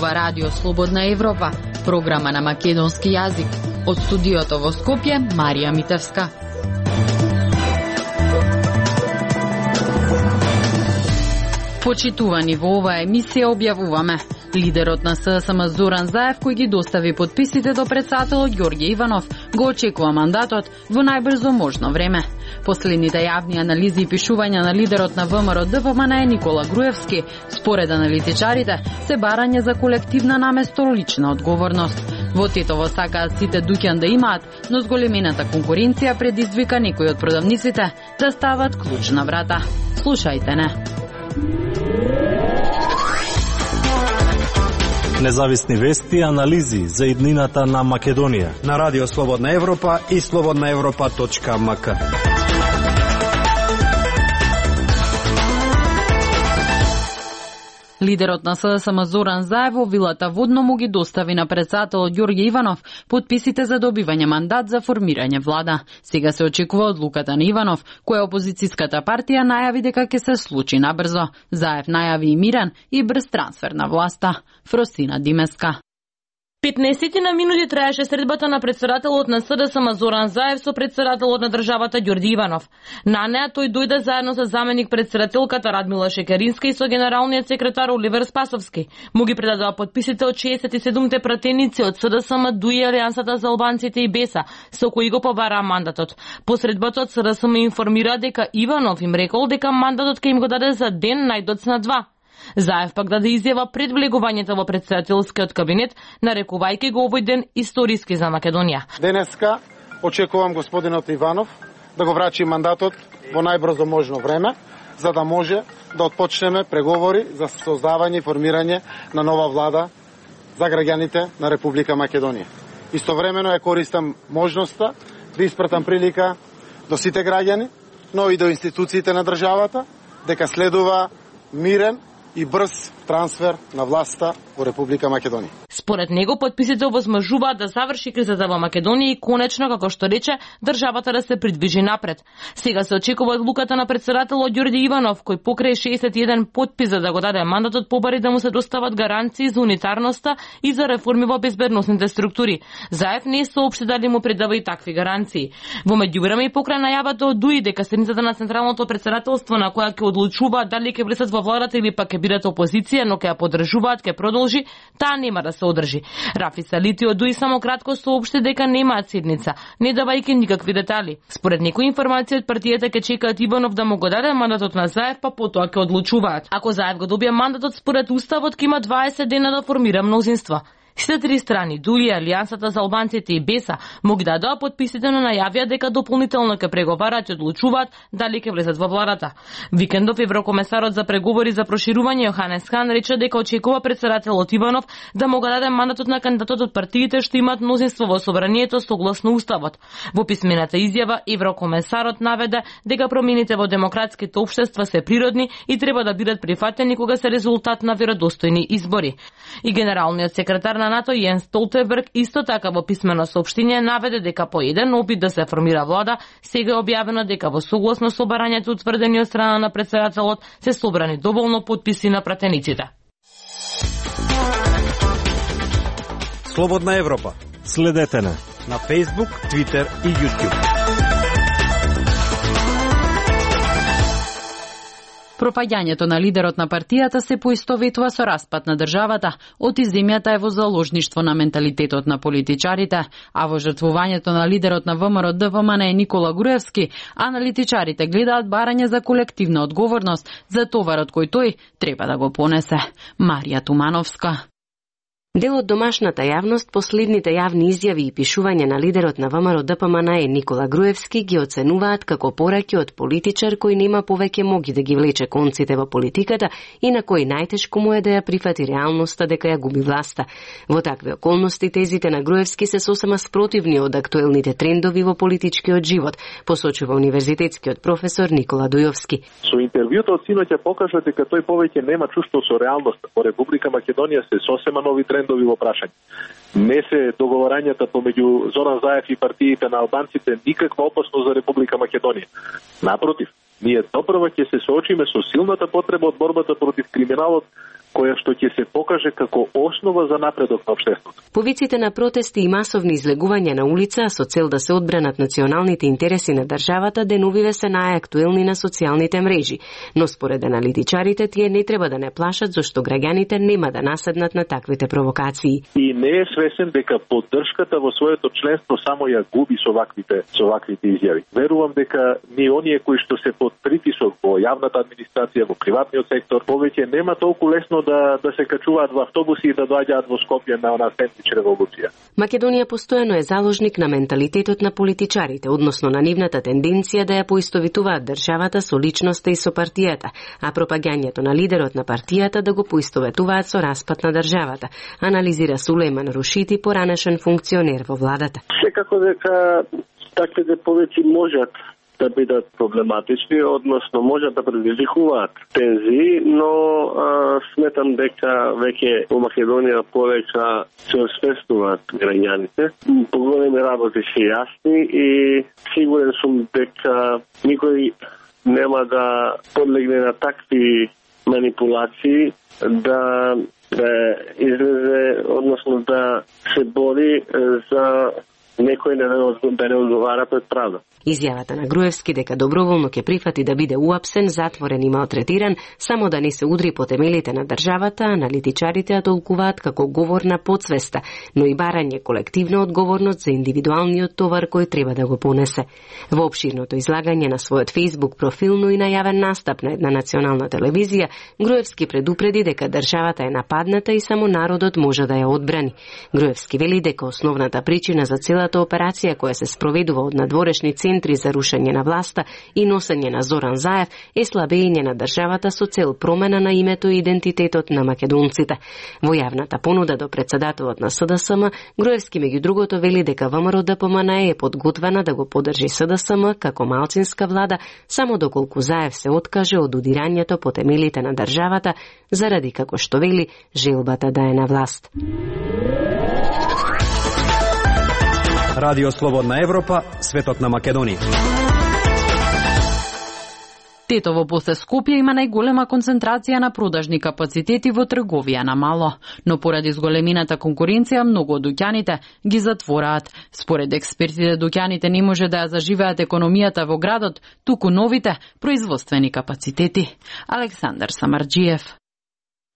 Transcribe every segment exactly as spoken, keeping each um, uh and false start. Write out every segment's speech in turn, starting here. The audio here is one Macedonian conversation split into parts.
ова Радио Слободна Европа, програма на македонски јазик. Од студиото во Скопје, Марија Митевска. Почитувани, во оваа емисија објавуваме: лидерот на СДСМ Зоран Заев, кој ги достави подписите до претседателот Ѓорѓе Иванов, го очекува мандатот во најбрзо можно време. Последните јавни анализи и пишувања на лидерот на ВМРО ДПМН Никола Груевски, според аналитичарите, се барање за колективна наместо лична одговорност. Во Тетово сакаат сите дуќан да имаат, но зголемената конкуренција предизвика некои од продавниците да стават клуч на врата. Слушајте не. Независни вести и анализи за иднината на Македонија на Радио Слободна Европа и слободна европа точка ем ка. Лидерот на СДСМ Зоран Заев во вилата Водно му ги достави на претседателот Ѓорѓе Иванов подписите за добивање мандат за формирање влада. Сега се очекува одлуката на Иванов, која опозицијската партија најави дека ќе се случи набрзо. Заев најави и мирен и брз трансфер на власта. Фросина Димеска. петнаесет минути траеше средбата на претседателот на СДСМ Зоран Заев со претседателот на државата Ѓорѓе Иванов. На неа тој дојде заедно со заменик претседателката Радмила Шекеринска и со генералниот секретар Оливер Спасовски. Му ги предадоа подписите од шеесет и седумте пратеници од СДСМ, ДУИ, Алијансата за албанците и БЕСА, со кои го побараа мандатот. По средбата од СДСМ информира дека Иванов им рекол дека мандатот ќе им го даде за ден, најдоцна два. Заев пак даде изјава пред влегувањето во претседателскиот кабинет, нарекувајќи го овој ден историски за Македонија. Денеска очекувам господинот Иванов да го врачи мандатот во најбрзо можно време, за да може да отпочнеме преговори за создавање и формирање на нова влада за граѓаните на Република Македонија. Истовремено ја користам можноста да испратам прилика до сите граѓани, но и до институциите на државата, дека следува мирен и брз трансфер на власта во Република Македонија. Според него потписите овозможуваат да заврши кризата во Македонија и конечно, како што рече, државата да се придвижи напред. Сега се очекува одлуката на претседателот Ѓорѓе Иванов, кој покрај шеесет и еден потпис за да го даде мандатот, побари да му се достават гаранции за унитарноста и за реформи во безбедносните структури. Заев не соопшти дали му предава и такви гаранции. Во меѓувреме и покрај најавата од ДУИ дека седницата на Централното претседателство на која ќе одлучуваат дали ќе влезат во владата или пак ќе бидат опозиција, но ќе ја поддржуваат, ќе продолжи, таа нема да се одржи. Рафи Салити од ДУИ само кратко соопшти дека немаат седница, не давајќи никакви детали. Според некои информации од партијата ќе чекаат Иванов да му го даде мандатот на Заев, па потоа ќе одлучуваат. Ако Заев го добие мандатот, според уставот ќе има дваесет дена да формира мнозинство. Сите три страни, ДУИ, Алијансата за албанците и БЕСА, му ги дадоа подписите, но најавија дека дополнително ќе преговараат и одлучуваат дали ќе влезат во владата. Викендов еврокомесарот за преговори за проширување Јоханес Хан рече дека очекува претседателот Иванов да му го даде мандатот на кандидатот од партиите што имаат мнозинство во собранието согласно уставот. Во писмената изјава еврокомесарот наведе дека промените во демократските општества се природни и треба да бидат прифатени кога се резултат на веродостојни избори. И генералниот секретар на НАТО Јенс Столтенберг исто така во писмено соопштение наведе дека по еден опит да се формира влада, сега е објавено дека во согласно со барањето утврдени од страна на претседателот се собрани доволно потписи на пратениците. Слободна Европа. Следете на на Facebook, Twitter и YouTube. Пропаѓањето на лидерот на партијата се поистоветува со распад на државата, оти земјата е во заложништво на менталитетот на политичарите, а во жртвувањето на лидерот на ВМРО ДПМН Никола Груевски, аналитичарите гледаат барање за колективна одговорност за товарот кој тој треба да го понесе. Марија Тумановска. Дел од домашната јавност последните јавни изјави и пишување на лидерот на ВМРО ДПМН Никола Груевски ги оценуваат како пораки од политичар кој нема повеќе моги да ги влече конците во политиката и на кој најтешко му е да ја прифати реалноста дека ја губи власта. Во такви околности тезите на Груевски се сосема спротивни од актуелните трендови во политичкиот живот, посочува универзитетскиот професор Никола Дујовски. Со интервјуто од синоќа покажа дека тој повеќе нема чувство со реалноста. Во Република Македонија се сосема нови трендови во прашање. Не се договорањата помеѓу Зоран Заев и партиите на албанците никаква опасност за Република Македонија. Напротив, ние допрва ќе се соочиме со силната потреба од борбата против криминалот која што ќе се покаже како основа за напредок на општеството. Повиците на протести и масовни излегувања на улица со цел да се одбранат националните интереси на државата деновиве се најактуелни на социјалните мрежи, но според аналитичарите тие не треба да не плашат зашто граѓаните нема да наседнат на таквите провокации. И не е свесен дека поддршката во своето членство само ја губи со ваквите со ваквите изјави. Верувам дека ни оние кои што се под притисок во јавната администрација, во приватниот сектор, повеќе нема толку лесно да да се качуваат во автобуси и да доаѓаат во Скопје на она сендвич револуција. Македонија постојано е заложник на менталитетот на политичарите, односно на нивната тенденција да ја поистовитуваат државата со личноста и со партијата, а пропагањето на лидерот на партијата да го поистоветуваат со распад на државата, анализира Сулејман Рушити, поранешен функционер во владата. Секако дека таквите повеќе можат да бидат проблематични, односно можат да предизвикуваат тензии, но а, сметам дека веќе во Македонија повеќе се освестуваат граѓаните. Поголеми работи се јасни и сигурен сум дека никој нема да подлегне на такви манипулации, да, да излезе, односно да се бори за некој да не одговара пред правда. Изјавата на Груевски дека доброволно ќе прифати да биде уапсен, затворен и малтретиран, само да не се удри по темелите на државата, аналитичарите ја толкуваат како говор на подсвеста, но и барање колективна одговорност за индивидуалниот товар кој треба да го понесе. Во опширното излагање на својот Facebook профил, но и најавен настап на една национална телевизија, Груевски предупреди дека државата е нападната и само народот може да ја одбрани. Груевски вели дека основната причина за целата операција која се спроведува од надворешни центри за рушење на власта и носење на Зоран Заев е слабење на државата со цел промена на името и идентитетот на македонците. Во јавната понуда до председателот на СДСМ, Груевски меѓу другото вели дека ВМРО Д П М Н е подготвена да го поддржи СДСМ како малцинска влада само доколку Заев се откаже од удирањето по темелите на државата заради, како што вели, желбата да е на власт. Радио Слободна Европа, светот на Македонија. Тетово после Скопје има најголема концентрација на продажни капацитети во трговија на мало, но поради зголемината конкуренција многу од дуќаните ги затвораат. Според експертите, дуќаните не може да ја заживеат економијата во градот, туку новите производствени капацитети. Александар Самарџиев.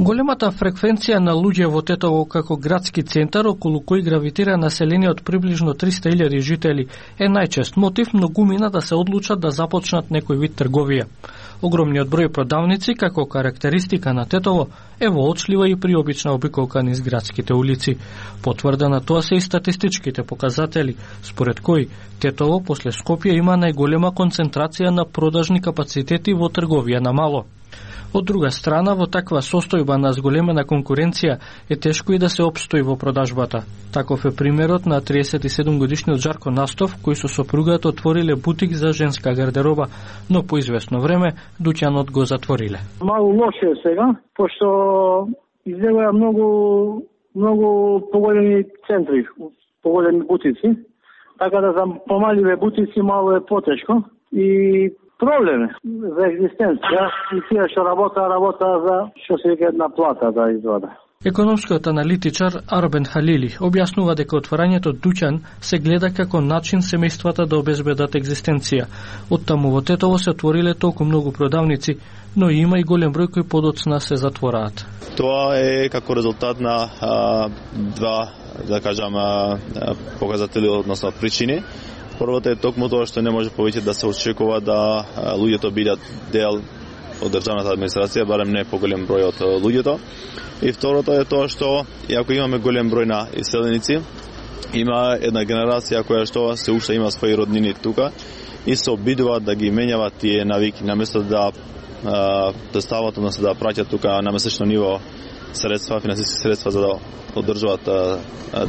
Големата фреквенција на луѓе во Тетово како градски центар, околу кој гравитира население од приближно триста илјади жители, е најчест мотив многумина да се одлучат да започнат некој вид трговија. Огромниот број продавници, како карактеристика на Тетово, е воочлива и приобична обиколка низ градските улици. Потврда на тоа се и статистичките показатели, според кои Тетово после Скопје има најголема концентрација на продажни капацитети во трговија на мало. Од друга страна, во таква состојба на зголемена конкуренција е тешко и да се опстои во продажбата. Таков е примерот на триесет и седум годишниот Жарко Настов, кој со сопругата отвориле бутик за женска гардероба, но по известно време дуќанот го затвориле. Малку лошо е сега, пошто излегува многу многу поголеми центри, поголеми бутици, така да за помаливе бутици мало е потешко и проблем за екзистенција и тие што работа, работа за што се вика една плата да извада. Економскиот аналитичар Арбен Халили објаснува дека отворањето дуќан се гледа како начин семејствата да обезбедат екзистенција. Оттаму во Тетово се отвориле толку многу продавници, но има и голем број кои подоцна се затвораат. Тоа е како резултат на а, два, да кажам, а, показатели, односно причини. Првото е токму тоа што не може повеќе да се очекува да луѓето бидат дел од државната администрација, барем не поголем број од луѓето. И второто е тоа што, иако имаме голем број на иселеници, има една генерација која што се уште има своји роднини тука и се обидуваат да ги менјават тие навики, наместо да да стават, односно да праќат тука на месечно ниво средства, финансиски средства за да одржуваат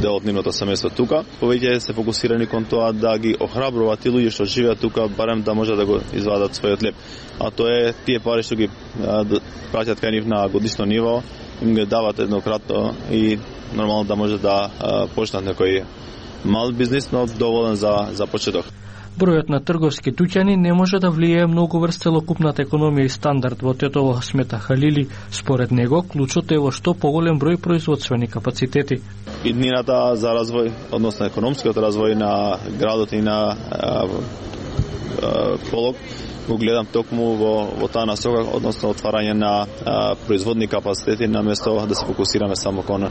дел од нивното семејство тука. Повеќе се фокусирани кон тоа да ги охрабруваат тие луѓе што живеат тука, барем да може да го извадат својот леп. А тоа е тие пари што ги праќат кај нив на годишно ниво, им ги дават еднократно и нормално да може да почнат некој мал бизнис, но доволен за за почеток. Бројот на трговски дуќани не може да влијае многу врз целокупната економија и стандард во Тетово, смета Халили. Според него, клучот е во што поголем број производствени капацитети. Иднината за развој, односно економскиот развој на градот и на а, а, Полог, го гледам токму во, во таа насока, односно отварање на а, производни капацитети, наместо да се фокусираме само кон а,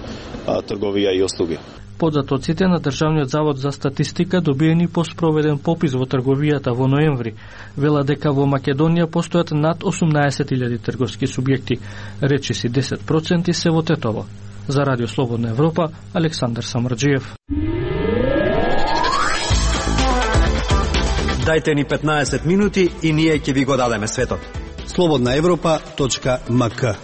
трговија и услуги. Податоците на Државниот завод за статистика добиени по спроведен попис во трговијата во ноември вела дека во Македонија постојат над осумнаесет илјади трговски субјекти, речиси десет проценти се во Тетово. За Радио Слободна Европа, Александар Самарџиев. Дајте ни петнаесет минути и ние ќе ви го дадеме светот. слободна европа точка ем ка.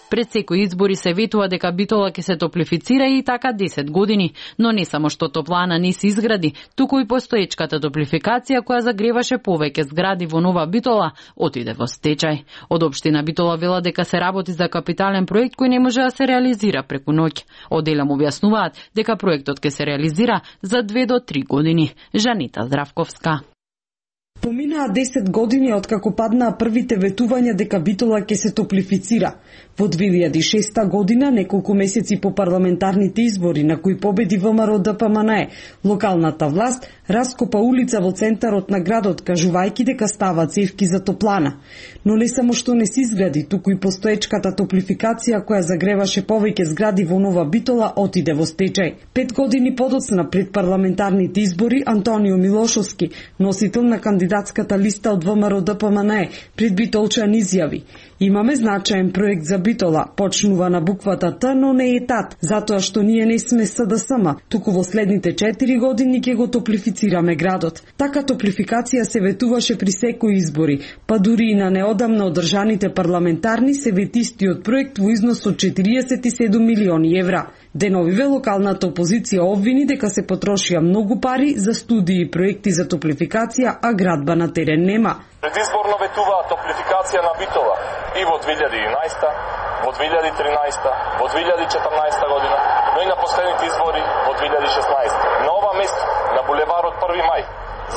Пред секој избори се ветува дека Битола ќе се топлифицира и така десет години, но не само што топлана не се изгради, туку и постоечката топлификација која загреваше повеќе згради во Нова Битола отиде во стечај. Од општина Битола вела дека се работи за капитален проект кој не може да се реализира преку ноќ. Оделам објаснуваат дека проектот ќе се реализира за две до три години. Жанита Здравковска. Поминаа десет години откако паднаа првите ветувања дека Битола ќе се топлифицира. Во две илјади и шеста година, неколку месеци по парламентарните избори на кои победи ВМРО Д П М Н Е, локалната власт раскопа улица во центарот на градот, кажувајќи дека ставаат цевки за топлана. Но не само што не се изгради, туку и постоечката топлификација која загреваше повеќе згради во Нова Битола отиде во стечај. Пет години подоцна пред парламентарните избори, Антонио Милошовски, носител на кандидатската листа од ВМРО Д П М Н Е, пред битолчан изјави: "Имаме значаен проект за Битола, почнува на буквата Т, но не е тат, затоа што ние не сме С Д С М, туку во следните четири години ќе го топлифицираме градот." Така топлификација се ветуваше при секои избори, па дури и на неодамно одржаните парламентарни се вети истиот проект во износ од четириесет и седум милиони евра. Деновиве локалната опозиција обвини дека се потрошија многу пари за студии и проекти за топлификација, а градба на терен нема. Предизборно ветуваа топлификација на Битола и во две илјади и еднаесета, во две илјади и тринаесета, во две илјади и четрнаесета година, но и на последните избори во две илјади и шеснаесета. На ова место, на булеварот први мај,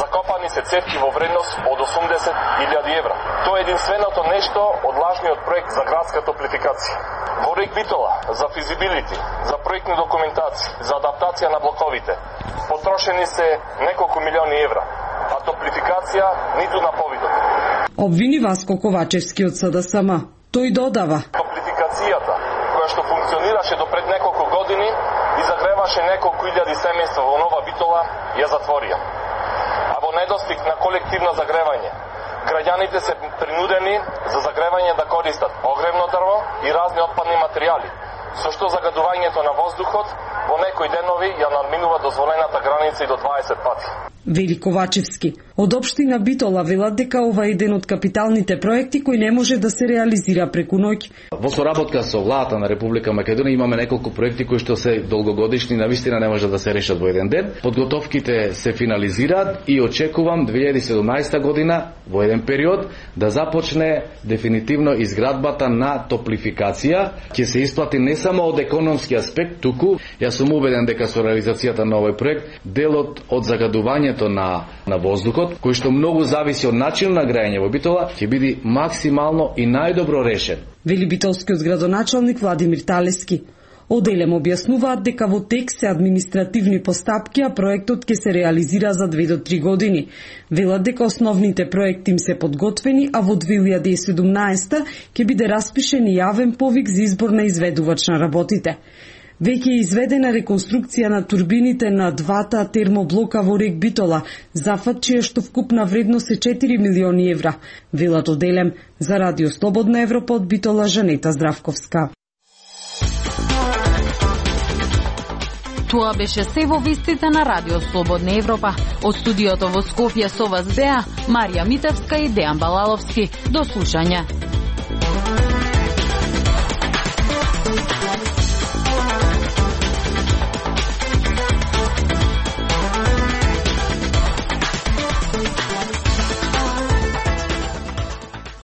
закопани се цевки во вредност од осумдесет илјади евра. Тоа е единственото нешто од лажниот проект за градска топлификација. Во Рек Битола, за физибилити, за проектни документации, за адаптација на блоковите, потрошени се неколку милиони евра, а топлификација ниту на повидот. Обвини Васко Ковачевски од С Д С М. Тој додава: Топлификацијата, која што функционираше до пред неколку години и загреваше неколку илјади семејства во Нова Битола, ја затворија. А во недостиг на колективно загревање, граѓаните се принудени за загревање да користат огревно дрво и разни отпадни материјали, со што загадувањето на воздухот во некои денови ја надминува дозволената граница и до дваесет пати. Вели Ковачевски. Од општина Битола велат дека ова е еден од капиталните проекти кој не може да се реализира преку ноќ. Во соработка со владата на Република Македонија имаме неколку проекти кои што се долгогодишни, навистина не може да се решат во еден ден. Подготовките се финализираат и очекувам две илјади и седумнаесета година во еден период да започне дефинитивно изградбата на топлификација. Ќе се исплати не само од економски аспект, туку јас сум убеден дека со реализацијата на овој проект делот од загадувањето на на воздухот, кој што многу зависи од начинот на граење во Битола, ќе биде максимално и најдобро решен. Вели битолскиот градоначалник Владимир Талески. Оделем објаснуваат дека во тек се административни постапки, а проектот ќе се реализира за две до три години. Велат дека основните проекти им се подготвени, а во две илјади и седумнаесета ќе биде распишен и јавен повик за избор на изведувач на работите. Веќе е изведена реконструкција на турбините на двата термоблока во Рек Битола, зафат чија што вкупна вредност е четири милиони евра. Велат оделем за Радио Слободна Европа од Битола, Жанета Здравковска. Тоа беше се во вестите на Радио Слободна Европа. Од студиото во Скопје со вас беа Марија Митевска и Дејан Балаловски. До слушање.